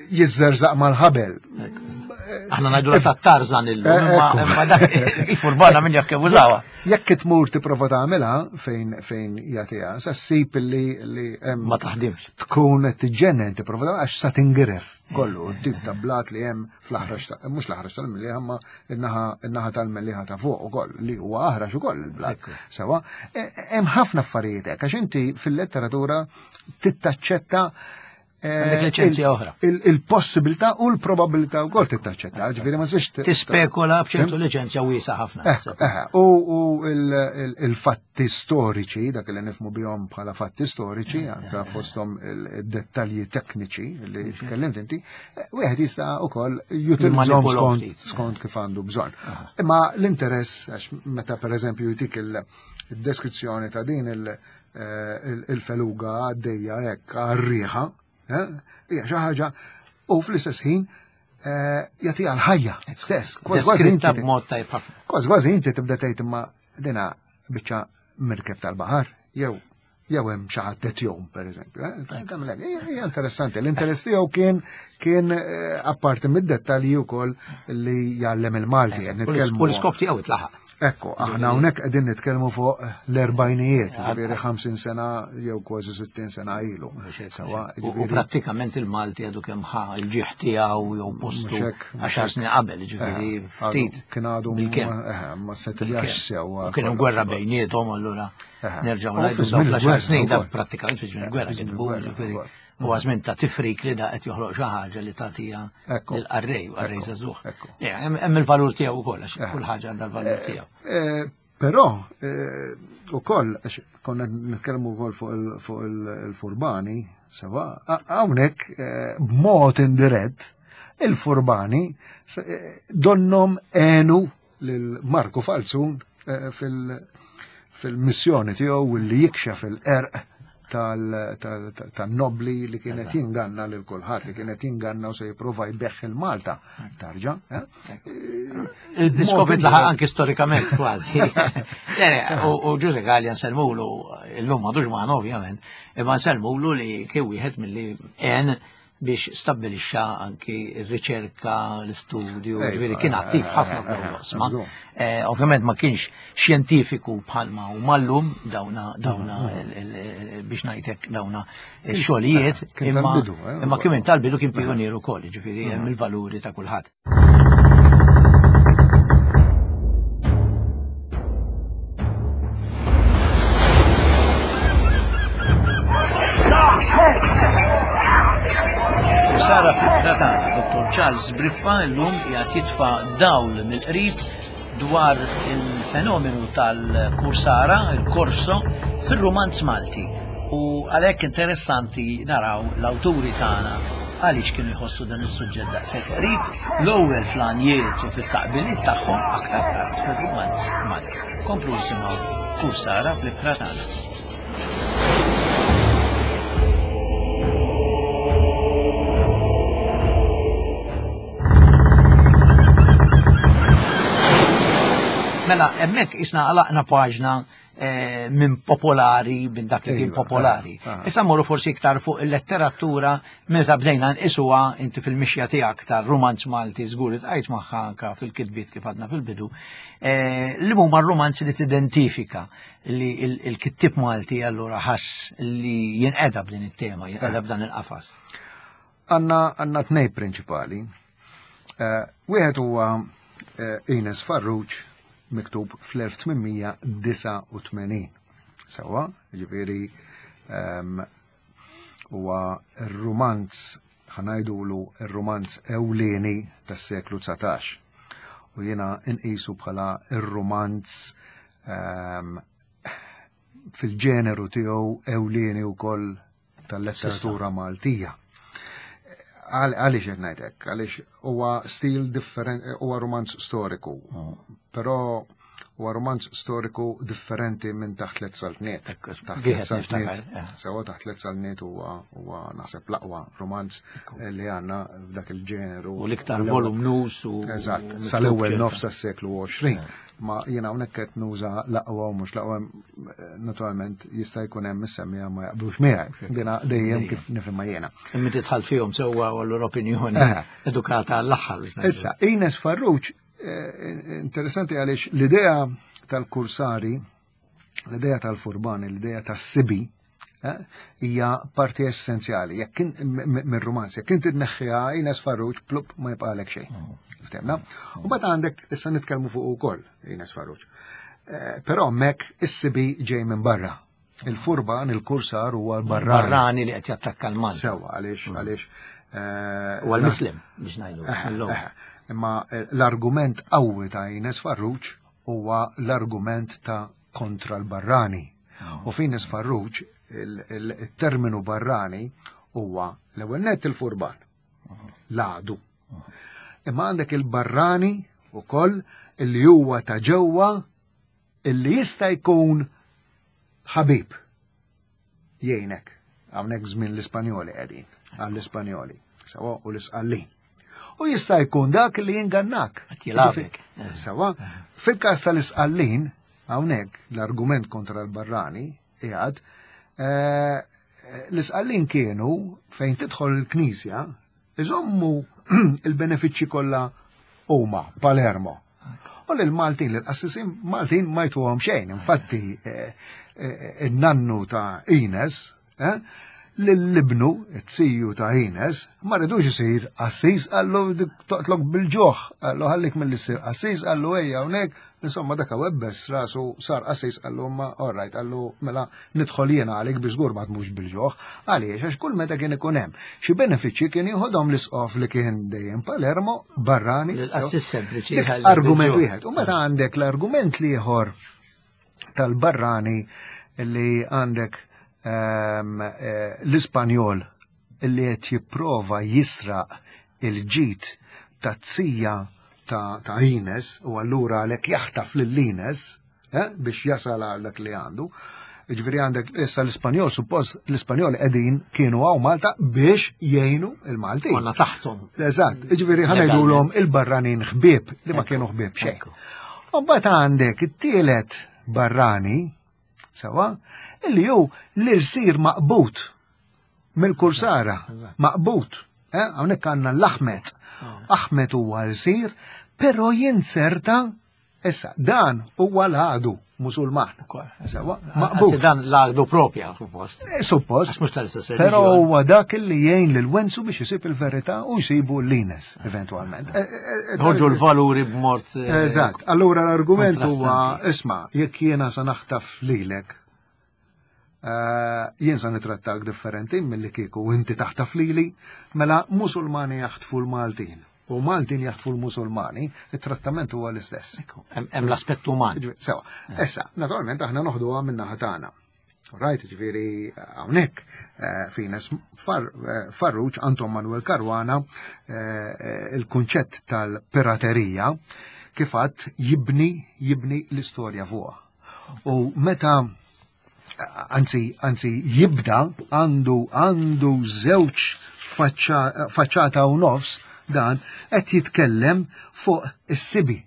Jiżżerżaq mal-ħabel. Aħna ngħidu ta' Tarzan illum, imma dak il-furbana min jaf kemm użawha. Jekk tmur tipprova tagħmilha fejn fejn jagħtiha, sa ssib li li hemm ma taħdimx. Tkun qed tiġġennen tipprova għax sa tingiref kollu tip ta' blat li hemm fl-aħrax ta' mhux l-aħrax tal-Mellieħa imma in-naħa tal-Mellieħa ta' fuq ukoll li huwa aħrax ukoll il-blat. Sewa, hemm ħafna affarijiet hekk għax inti fil-letteratura tittaċċetta Għandek liċenzja oħra. Il-possibilità u l-probabilità wkoll tittaċċetta, ġifieri ma siex tispekola b'ċertu liċenzja wiesa ħafna. U il-fatti storiċi, dak li nifhmu bihom bħala fatti storiċi, anke fosthom il-dettalji tekniċi li tkellimt inti, wieħed jista' wkoll jutilizzahom skont kif għandu bżonn. Imma l-interess, għax meta pereżempju jtik il-deskrizzjoni ta' din il-feluga għaddejja hekk għar-riħa, hija xi ħaġa u fl-istess ħin jagħtiha l-ħajja stess. Deskritta b'mod tajjeb ħafna. Kważi kważi inti tibda tgħid imma dina biċċa mirkeb tal-baħar jew jew hemm xi ħadd qed jgħum pereżempju. Hija interessanti. L-interess tiegħu kien kien apparti mid-dettalji wkoll li jgħallem il-Malti. U l-iskop tiegħu itlaħaq. Ekku, aħna hawnhekk qegħdin nitkellmu fuq l-erbajnijiet, ġifieri ħamsin sena jew kważi sittin sena ilu. U prattikament il-Malti għadu kemm ħa il-ġieħ tiegħu jew postu għaxar snin qabel, ġifieri ftit. Kien għadu ma setiljax sew. Kien hemm gwerra bejniethom allura nerġgħu ngħidu dawk l-għaxar snin dak prattikament fi żmien gwerra kitbu, ġifieri huwa żmien ta' tifrik li da qed joħloq xi ħaġa li tagħtiha lill-qarrej u qarrej żagħżugħ. Hemm il-valur tiegħu wkoll għax kull ħaġa għandha l-valur tiegħu. Però ukoll għax konna nitkellmu wkoll fuq il-furbani, sewa, hawnhekk b'mod indirett il-furbani donnom għenu lil Marku Falzun fil-missjoni tiegħu li jikxef il-qerq tan-nobli li kienet jinganna lil kulħadd, li kienet jinganna u se jipprova jbeħħ il-Malta. Tarġa. Il-diskop itlaħaq anki storikament kważi. U Ġużè Galea nsellmulu, illum m'għadux magħna ovvjament, imma nsellmulu li kien wieħed milli għen biex stabbilixxa anki r-riċerka, l-istudju, ġifieri kien attiv ħafna f'dawn l-oqsma. Ovvjament ma kienx xjentifiku bħalma u mallum dawna dawna biex ngħidlek dawna x-xogħlijiet, imma kien tal-bidu kien pionier ukoll, ġifieri hemm il-valuri ta' kulħadd. Sara fl-ibħra tagħna, Dottor Charles Briffa llum qiegħed jitfa' dawl mill-qrib dwar il-fenomenu tal-kursara, il-korso, fir-rumanz Malti. U għalhekk interessanti naraw l-awturi tagħna għaliex kienu jħossu dan is-suġġett daqshekk qrib, l-ewwel fl-għanjiet u fit-taqbiliet tagħhom aktar tard fir-rumanz Malti. Komplu nisimgħu Kursara fl-ibħra tagħna. Mela, hemmhekk isna għalaqna paġna minn popolari, minn dak li kien popolari. Issa mmorru forsi iktar fuq il-letteratura meta bdejna nqisuha inti fil-mixja tiegħek tar-rumanz Malti żgur li tqajt magħha anke fil-kitbiet kif għadna fil-bidu, li huma r-rumanzi li tidentifika li l-kittieb Malti allura ħass li jinqeda b'din it-tema, jinqeda b'dan il-qafas. Għandna għandna tnejn prinċipali. Wieħed huwa Ines Farrugia miktub fl-elf tmien disgħa u tmenin. Sewa, ġifieri huwa r-rumanz, ħanajdulu r-rumanz ewlieni tas-seklu dsatax. U jiena nqisu bħala r-rumanz fil-ġeneru tiegħu ewlieni wkoll tal-letteratura Maltija. Għaliex qed ngħidlek, għaliex huwa stil differenti, huwa rumanz storiku, però Huwa romanz storiku differenti minn Taħt Tliet Saltniet. Taħt Tliet Saltniet. Eh. Sewa, Taħt Tliet Saltniet huwa huwa naħseb l-aqwa romanz li għandna f'dak il-ġeneru. U l-iktar volumnus u. Eżatt, sal-ewwel nofs tas-seklu għoxrin. Eh. Ma jiena hawnhekk qed nuża l-aqwa u mhux l-aqwa, naturalment jista' jkun hemm is-semmija ma jaqblux miegħi. Dina dejjem kif nifhimha jiena. Imma tidħal fihom sewwa u allura opinjoni eh. edukata għall-aħħar. Issa, Ines Farrugia, eh, interessanti għaliex l-idea tal-kursari, l-idea tal-furbani, l-idea tas-sibi, eh, hija parti essenzjali. Jekk mir-romanz, jekk inti tneħħiha Ines Farrugia, plup, ma jibqalek xejn. Mm. Ftemna? U mbagħad għandek, issa nitkellmu fuq ukoll Ines Farrugia. Eh, però hemmhekk is-sibi ġej minn barra. Il-furban, il-kursar huwa l-barrani. Barrani li qed jattakka l-Malta. Sewa, għaliex mm. għaliex. Eh, huwa l-Muslim biex ngħidu. Eh, imma l-argument qawwi ta' Ines Farrugia huwa l-argument ta' kontra l-barrani. Oh. U f'Ines Farrugia il-terminu barrani huwa l-ewwel net il-furban. L-għadu. Imma għandek il-barrani u koll illi huwa ta' ġewwa illi jista' jkun ħabib jgħinek. Hawnhekk żmien l-Ispanjoli qegħdin, għall-Ispanjoli, sewa, u l-Isqallin. U jista' jkun dak li jingannak. Sewa, fil-każ tal-Isqallin, hawnhekk l-argument kontra l-barrani qiegħed, eh, l-Isqallin kienu fejn tidħol il-Knisja iżommu il-benefiċċji kollha huma Palermo. U l-Maltin, l-qassisin Maltin ma jtuhom xejn. Infatti, eh, eh, in-nannu ta' Ines, eh, l-libnu, it-siju ta' Ines, ma ridux isir qassis, qallu toqtlok bil-ġuħ, qallu ħallik mill issir qassis, qallu ejja hawnhekk, insomma dak webbes rasu sar qassis, qallu ma all right, qallu mela nidħol jiena għalik biex żgur ma tmux bil-ġuħ, għaliex għax kull meta kien ikun hemm xi benefiċċji kien jieħodhom l-isqof li kien dejjem Palermo, barrani. L-qassis sempliċi. Argument wieħed. U meta għandek l-argument l-ieħor tal-barrani li għandek ehm, eh, l-Ispanjol li qed jipprova jisraq il-ġid ta' tija ta' ta' Ines u allura għalhekk jaħtaf lil Ines eh, biex jasal għal dak li għandu. Ġifieri għandek issa l-Ispanjol, suppost l-Ispanjol qegħdin kienu hawn Malta biex jgħinu il-Maltin. Konna taħtom. Eżatt, ġifieri ħa ngħidulhom il-barranin ħbieb li ma kienu ħbieb xejn. U mbagħad għandek it-tielet barrani, sewa, illi hu l-irsir maqbut mill-kursara, maqbut. Eh, hawnhekk għandna l-Aħmed. Aħmed huwa l-sir, però jinserta, issa, dan huwa l-għadu musulman. Sewa, maqbut. Dan l-għadu propja, suppost. Eh, suppost. Għax mhux tal-istess Però huwa dak li jgħin lil Wenzu biex isib il-verità u jsibu l-Ines, eventualment. Eh, eh, Ħorġu l-valuri b'mod. Eżatt. Allura l-argument huwa, isma', jekk jiena sa naħtaf lilek, jien sa nitrattak differenti milli kieku inti taħtaf lili, mela musulmani jaħtfu l-Maltin u Maltin jaħtfu l-Musulmani, it-trattament huwa l-istess. Hemm l-aspett uman. Sewa. Issa, naturalment aħna noħduha minn naħa tagħna. Right, ġifieri hawnhekk f'Ines Farrugia, Anton Manuel Caruana, il-kunċett tal-piraterija kif għad jibni jibni l-istorja fuqha. U meta anzi anzi jibda għandu għandu żewġ faċċata u nofs dan qed jitkellem fuq is-sibi.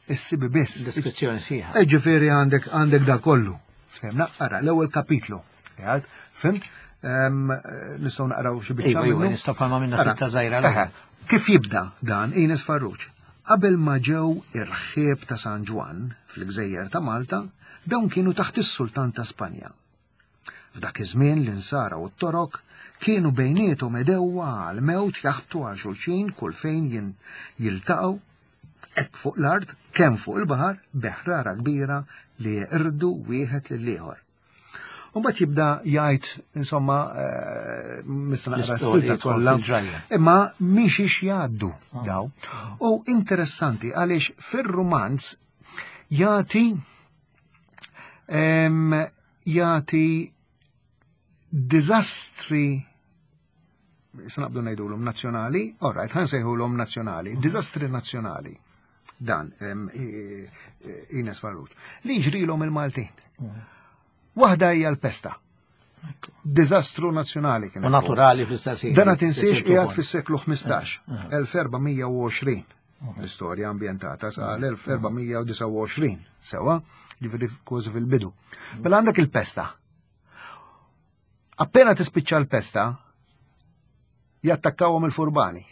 Is-sibi biss. Deskrizzjoni sħiħa. Ġifieri għandek għandek da kollu. Fhimna, ara l-ewwel kapitlu. Jgħid, fimt? Nistgħu naqraw xi biċċa. Iva, iva, nistgħu bħalma minna sitta żgħira. Kif jibda dan Ines Farrugia? Qabel ma ġew ir-ħieb ta' San Ġwann fil-Gżejjer ta' Malta, dawn kienu taħt is-Sultan ta' Spanja. F'dak iż-żmien l-Insara u t-Torok kienu bejniethom edewwa għal mewt jaħbtu għal xulxin kull fejn jiltaqgħu, hekk fuq l-art kemm fuq il-baħar beħrara kbira li jeqirdu wieħed lil ieħor. U mbagħad jibda jgħid, insomma, nista' naqra s-silta kollha, imma minn xiex jgħaddu daw. U interessanti għaliex fir-rumanz jagħti jagħti diżastri, se naqbdu ngħidulhom nazzjonali, all right, ħa nsejħulhom nazzjonali, diżastri nazzjonali, dan Ines Farrugia, li ġrilhom il-Maltin. Waħda hija l-pesta. Diżastru nazzjonali kien. U naturali fl-istess ħin. Dana tinsiex qiegħed fis-seklu ħmistax, elf erba' mija u għoxrin. L-istorja ambjentata sa l-elf erba' mija u disgħa u għoxrin, sewa, ġifieri kważi fil-bidu. Mela għandek il-pesta. Appena tispiċċa l-pesta, jattakkawhom il-furbani.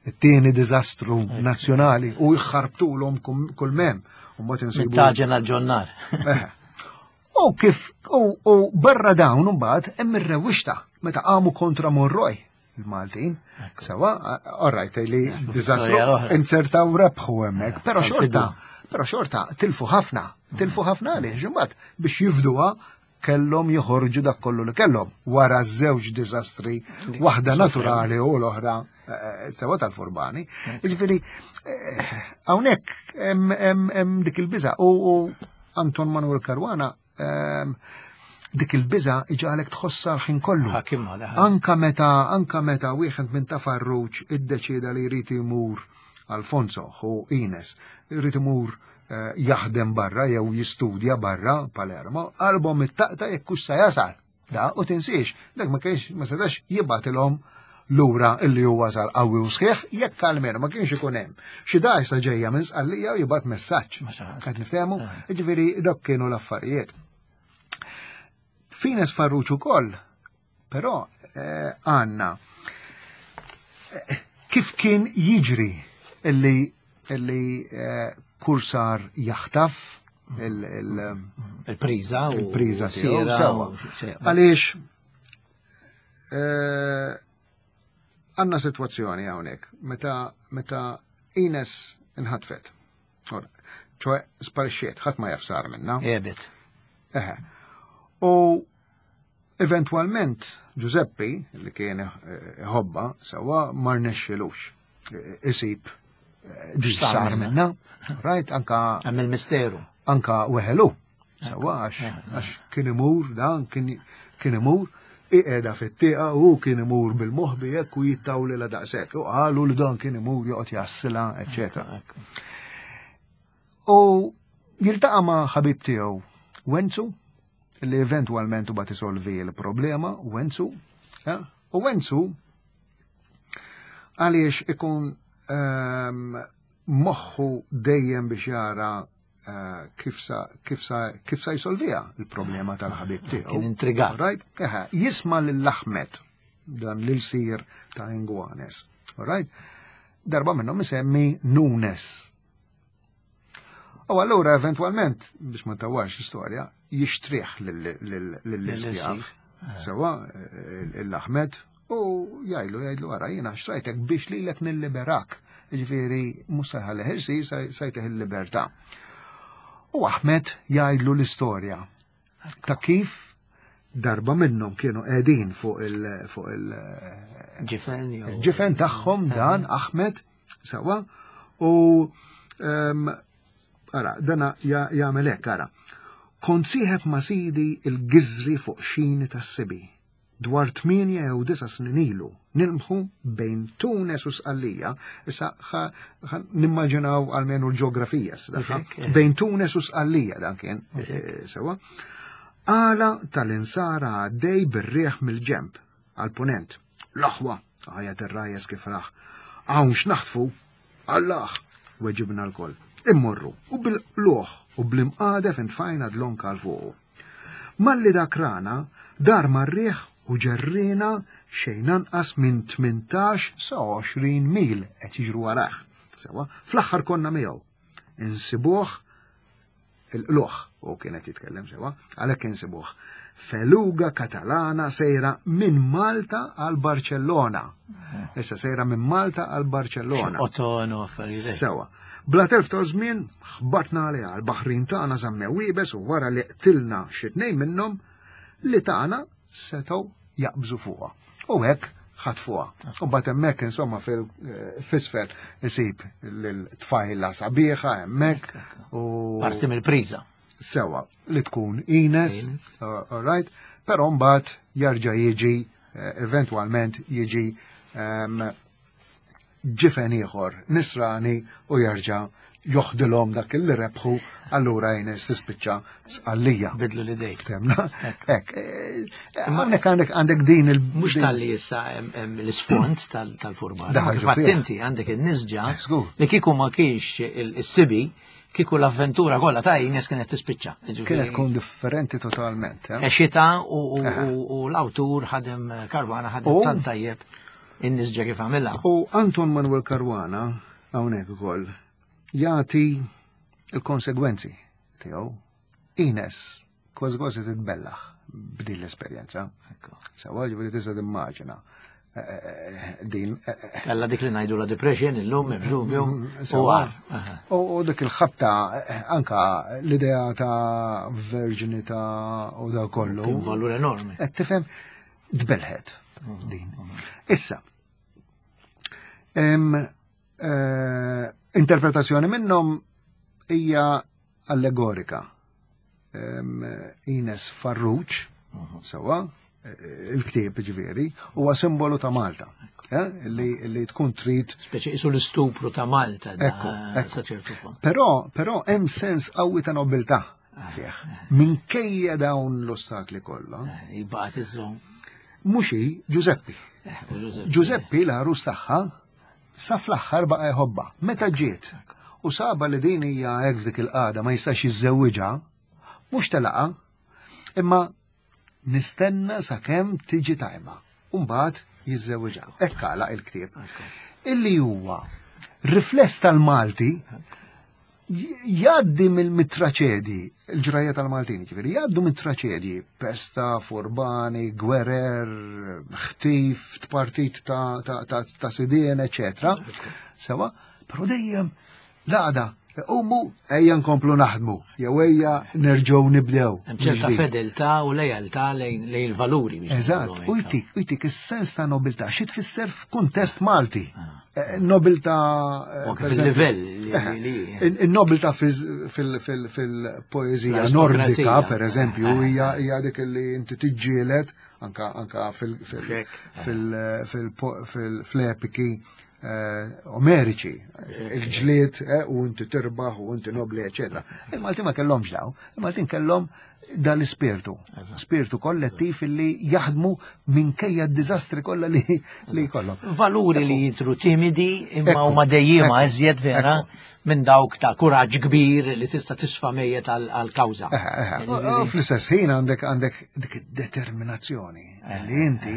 It-tieni diżastru nazzjonali u jħarbtulhom kull mem. U mbagħad insibu Taġen għal-ġonnar. U kif u barra dawn mbagħad hemm ir-rewwixta meta qamu kontra Monroy il-Maltin. Sewa, all right, li diżastru insertaw rebħu hemmhekk, però xorta, però xorta tilfu ħafna, tilfu ħafna għaliex imbagħad biex jifduha kellhom joħorġu dak kollu li kellhom wara żewġ diżastri, waħda naturali u l-oħra sewa tal-furbani. Jiġifieri hawnhekk hemm dik il-biża u Anton Manuel Caruana dik il-biża iġagħlek tħossha l-ħin kollu. Anka meta anka meta wieħed minn ta' Farrugia iddeċieda li jrid imur, Alfonso u Ines, jrid imur jaħdem barra jew jistudja barra Palermo, qalbhom it-taqta jekk hux sa jasal. Da, u tinsiex, dak ma kienx ma setax jibgħatilhom lura illi huwa sar qawwi u sħiħ jekk almenu ma kienx ikun hemm xi dgħajsa ġejja minn Sqallija u jibgħat messaġġ. Qed niftehmu? Jiġifieri dak kienu l-affarijiet. F'Ines Farrugia ukoll, però għandna kif kien jiġri illi illi kursar jaħtaf il-priża il-priża tiegħu sewa. Għaliex għandna sitwazzjoni hawnhekk meta meta Ines inħatfet. ċoe sparixxiet, ħadd ma jaf sar minna. Ebet. Eħe. U eventwalment Giuseppi, li kien ħobba, sewa ma rnexxilux isib sar minna. Right, anka Hemm il-misteru. Anka weħelu. Sewa għax kien imur dan kien imur iqeda fit-tieqa u kien imur bil-moħbi hekk u jittawli la daqshekk. U qalu li dan kien imur joqgħod jassila, eċċetera. U jiltaqa' ma' ħabib tiegħu Wenzu, li eventwalment bat isolvi l-problema, Wenzu, u Wenzu għaliex ikun moħħu dejjem biex jara kif sa kif sa kif sa jsolvija il-problema tal-ħabib tiegħu. Kien intrigat. Right? Eħe, jisma' lil Ahmed dan lil sir ta' Inguanes. Right? Darba minnhom isemmi Nunes. U allura eventwalment, biex ma tawwarx l-istorja, jixtrih lill-iskjav. Sewa, l-Ahmed, u jgħidlu, jgħidlu ara, jiena xtrajtek biex lilek nilliberak. Ġifieri, mhux sa jħallih isir, sa jtih il-libertà. U Ahmed jgħidlu l-istorja ta' kif darba minnhom kienu qegħdin fuq il fuq il ġifen il-ġifen tagħhom dan Ahmed sewa u ara dana jagħmel hekk ara. Kont sieħeb ma' sidi il-giżri fuq xini tas-sibi dwar tmienja jew disa' snin ilu nilmħu bejn Tunes u Sqallija, issa nimmaġinaw almenu l-ġeografija, bejn Tunes u Sqallija dan kien, sewa, għala tal-insara għaddej bir-rieħ mill-ġemp għal-punent. L-aħwa, għajat ir-rajes kif raħ, hawn x'naħtfu, Allah, weġibna l-koll. Immorru, u bil-luħ u bl-imqadef intfajna dlonk għal fuqu. Malli dak rana, dar mar-rieħ u ġerrina xejn anqas minn tmintax sa għoxrin mil qed jiġru warah. Sewa, fl-aħħar konna miegħu. Insibuh il-qluħ, u kienet jitkellem sewa, għalhekk insibuh. Feluga Katalana sejra minn Malta għal Barcellona. Issa sejra minn Malta għal Barcellona. Otono affarijiet. Sewa. Bla telf ta' żmien ħbatna għaliha, l-baħrin tagħna żammew iebes u wara li qtilna xi tnejn minnhom li tagħna setgħu jaqbżu fuqha. U hekk ħatfuha. U mbagħad hemmhekk insomma fil-fisfer isib lil-tfajla sabiħa hemmhekk u parti mill-priża. Sewa li tkun Ines, all right, però mbagħad jarġa' jiġi eventwalment jiġi ġifen ieħor nisrani u jarġa' joħdilhom dak li rebħu, allura Ines tispiċċa Sqallija. Bidlu l-idejk. Temna. Hekk. Hawnhekk għandek għandek din il- Mhux talli issa hemm l-isfond tal-furbara. Daħal Fatt fih. inti għandek in-nisġa Eh, żgur. li kieku ma kienx il-sibi, kieku l-avventura kollha ta' Ines kienet tispiċċa. Jiġifieri, Kienet tkun differenti totalment. eh? Xita u u l-awtur ħadem Caruana ħadem U- tant tajjeb in-nisġa kif għamilha. U Anton Manuel Caruana, hawnhekk ukoll, jagħti il-konsegwenzi tiegħu. Ines kważi kważi titbellaħ b'din l-esperjenza. Ekku. Sawa ġifieri tista' timmaġina eh, eh, din eh, eh, Kella dik li ngħidu la depression illum hemm dubju u Sewa. għar. Aha. U u dik il-ħabta eh, anka l-idea ta' verġinità u da kollu. Kien valur enormi. Qed tifhem tbelħet din. Issa, em, eh, interpretazzjoni minnhom hija allegorika. Em, Ines Farrugia, sewa, eh, il-ktieb ġifieri, huwa simbolu ta' Malta, eh, li, li tkun trid Speċi isu l-istupru ta' Malta da Ekku, ekku. sa ċertu punt. Però, però hemm sens qawwi ta' nobiltà fih. Minkejja dawn l-ostakli kollha, Eh, Jibqgħet iżżomm. mhux hi Giuseppi. Eh, u Giuseppe. Giuseppi l-għarus tagħha sa fl-aħħar baqa' jħobbha. Meta ġiet u saba li din hija hekk f'dik il-qagħda ma jistax jiżżewwiġha, mhux telaqa, imma nistenna sakemm tiġi tajba. U mbagħad jiżżewwiġha. Hekk għalaq il-ktieb. Illi huwa rifless tal-Malti jgħaddi mill-traċedji, il-ġrajja tal-Maltin, ġifieri, jgħaddu mit-traċedji, pesta, furbani, gwerer, ħtif, tpartit ta', ta, ta, ta' sidien, eccetera. Sewa, però dejjem l-għada, umu, ejja nkomplu naħdmu, jew ejja nerġgħu nibdew. Hemm ċerta mill-ġdid. fedeltà u lejaltà lejn lejn il-valuri biex Eżatt, ngħidu u hekk. jtik, u jtik is-sens ta' nobiltà, xi tfisser f'kuntest Malti. Eh, Nobiltà eh, U anke per eżempju, fil-livell li- li- li- In- In-nobiltà fil- fil- fil-poeżija L-aristokrazija. nordika, per eżempju, hija hija dik li inti tiġġieled anka anka fil- fil- Xek. fil- fil- fil- fl-epiki eh, omeriċi, il-ġlied eh, u inti tirbaħ u inti nobli, eccetera. Il-Maltin ma kellhomx daw, il-Maltin kellhom dal-ispirtu, spirtu kollettiv illi jaħdmu minkejja d-diżastri kollha li li jkollhom. Valuri li jidhru timidi imma Ekku, huma dejjima ekku, iżjed vera minn dawk ta' kuraġġ kbir li tista' tisfa' mejjet għal-kawża. Eħe, eħe. U fl-istess ħin għandek għandek dik id-determinazzjoni li inti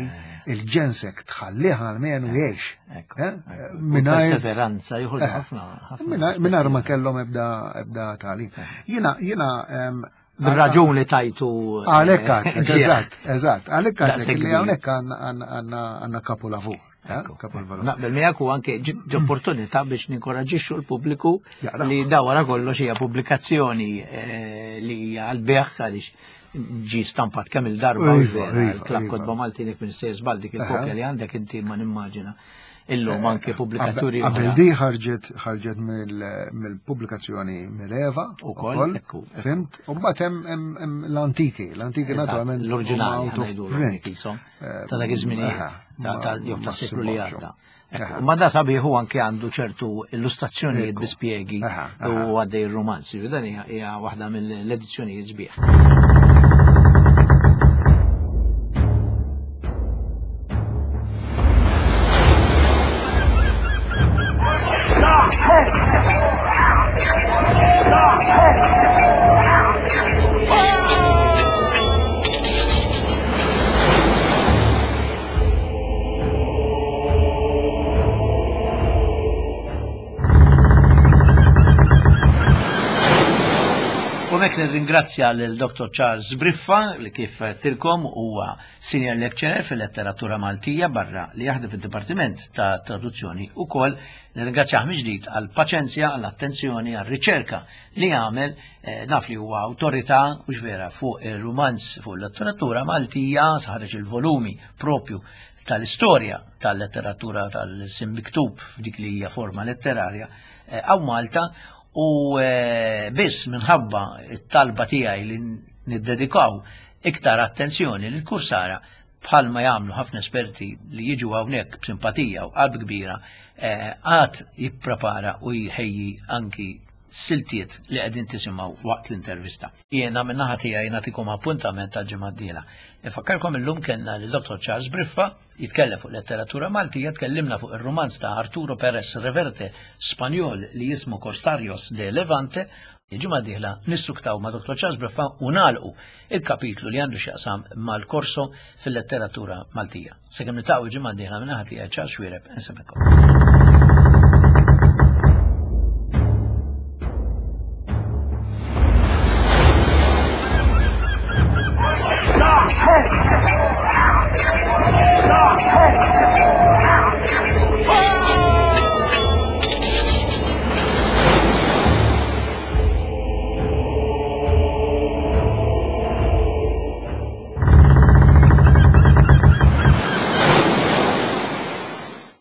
il-ġensek tħallih għalmenu jgħix. Ekku, Eh? ekku. Mingħajr- Perseveranza joħorġu ħafna. ħafna Mingħajr mingħajr ma kellhom ebda ebda tagħlim. Jiena jiena em, Bir-raġun li tajtu. Għalhekk għadlek, eżatt, eżatt, għalhekk għadlek Daqshekk li kbir. hawnhekk għandna għandna għandna kapulavur. eh, Kapulavur. Naqbel miegħek u anke ġi opportunità biex ninkoraġixxu l-pubbliku Jaqra. li da wara kollox hija pubblikazzjoni eh, li hija għall-beħ għaliex ġi stampat kemm il-darba u Iva, vera, iva, il-Klabb iva. Kotba Maltin jekk minn sejjer żball dik il-kopja Aha. li għandek inti ma nimmaġina illum anke pubblikaturi Qabel oħra. di ħarġet ħarġet mill- mill-pubblikazzjoni Mileva Ukoll, ekku, ekku. Fimt? U mbagħad hemm hemm- hemm l-antiki, l-antiki Eżatt, naturalment l-oriġinali huma out of ħanajdulhom print. qishom, Eh, ta' dak iż-żminijiet aha, ta' ta' ma- jew ta' ma seklu li ssibhomx. għadda. Aha. Ekku, Ma da sabiħu anke għandu ċertu illustrazzjonijiet Ekku. bi spjegi Aha, aha. u għaddej il-romanzi. Dan hija hija waħda mill-edizzjonijiet sbieħ. U mek nirringrazzja lil Dr. Charles Briffa li kif tilkom huwa senior lecturer fil-letteratura Maltija barra li jaħdem fid-Dipartiment ta' Traduzzjoni ukoll nirringrazzjah mill-ġdid għal paċenzja, għall attenzjoni, għal riċerka li għamel eh, naf li huwa awtorità u vera fuq il-rumanz fuq il-letteratura Maltija saħreġ il-volumi propju tal-istorja tal-letteratura tal-sim miktub f'dik li hija forma letterarja għaw Malta u eh, biss minħabba it-talba tiegħi li niddedikaw iktar attenzjoni lil kursara bħalma jagħmlu ħafna esperti li jiġu hawnhekk b'simpatija u qalb kbira eh, għad jipprepara u jħejji anki Siltiet li qegħdin tisimgħu waqt l-intervista. Jiena min-naħa tiegħi nagħtikom appuntament tal-ġimgħa d-dieħla. Infakkarkom, illum kellna lil Dottor Charles Briffa jitkellem fuq letteratura Maltija, tkellimna fuq ir-rumanz ta' Arturo Perez Reverte, Spanjol, li jismu Corsarios de Levante. Il-ġimgħa d-dieħla nissuktaw ma' Dottor Charles Briffa u nagħlqu il-kapitlu li għandu x'jaqsam mal-korso fil-letteratura Maltija. Sakemm niltaqgħu il-ġimgħa d-dieħla, min-naħa tiegħi, Charles Xuereb, insellmilkom.